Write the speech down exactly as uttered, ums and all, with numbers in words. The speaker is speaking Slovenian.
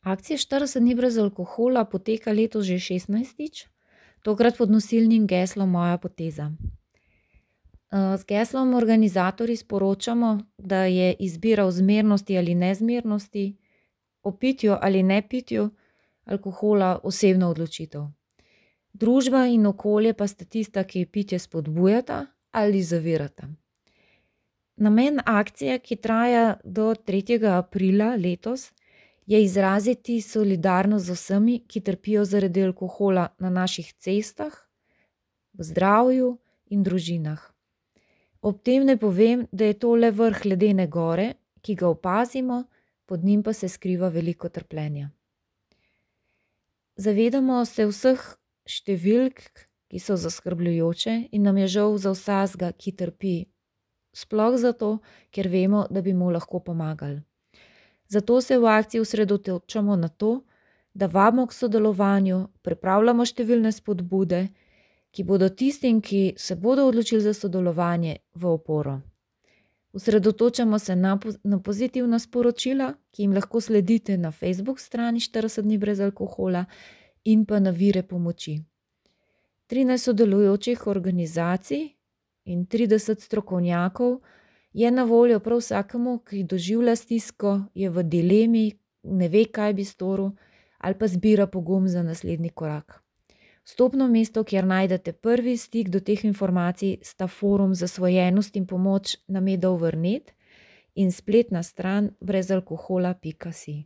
Akcija štirideset dni brez alkohola poteka letos že šestnajstič, tokrat pod nosilnim geslom Moja poteza. z geslom organizatorji sporočamo, da je izbira o zmernosti ali nezmernosti, o pitju ali nepitju alkohola osebna odločitev. Družba in okolje pa sta tista, ki pitje spodbujata ali zavirata. Namen akcije, ki traja do tretjega aprila letos, je izraziti solidarnost z vsemi, ki trpijo zaradi alkohola na naših cestah, v zdravju in družinah. Ob tem naj povem, da je to le vrh ledene gore, ki ga opazimo, pod njim pa se skriva veliko trpljenja. Zavedamo se vseh številk, ki so zaskrbljujoče, in nam je žal za vsakega, ki trpi, sploh zato, ker vemo, da bi mu lahko pomagali. Zato se v akciji osredotočamo na to, da vabimo k sodelovanju, pripravljamo številne spodbude, ki bodo tistim, ki se bodo odločili za sodelovanje, v oporo. Osredotočamo se na na pozitivna sporočila, ki jim lahko sledite na Facebook strani štirideset dni brez alkohola, in pa na vire pomoči. Trinajst sodelujočih organizacij in trideset strokovnjakov je na voljo prav vsakemu, ki doživlja stisko, je v dilemi, ne ve, kaj bi storil, ali pa zbira pogum za naslednji korak. Vstopno mesto, kjer najdete prvi stik do teh informacij, sta forum Zasvojenost in pomoč na Medovr pika net in spletna stran brezalkohola pika si.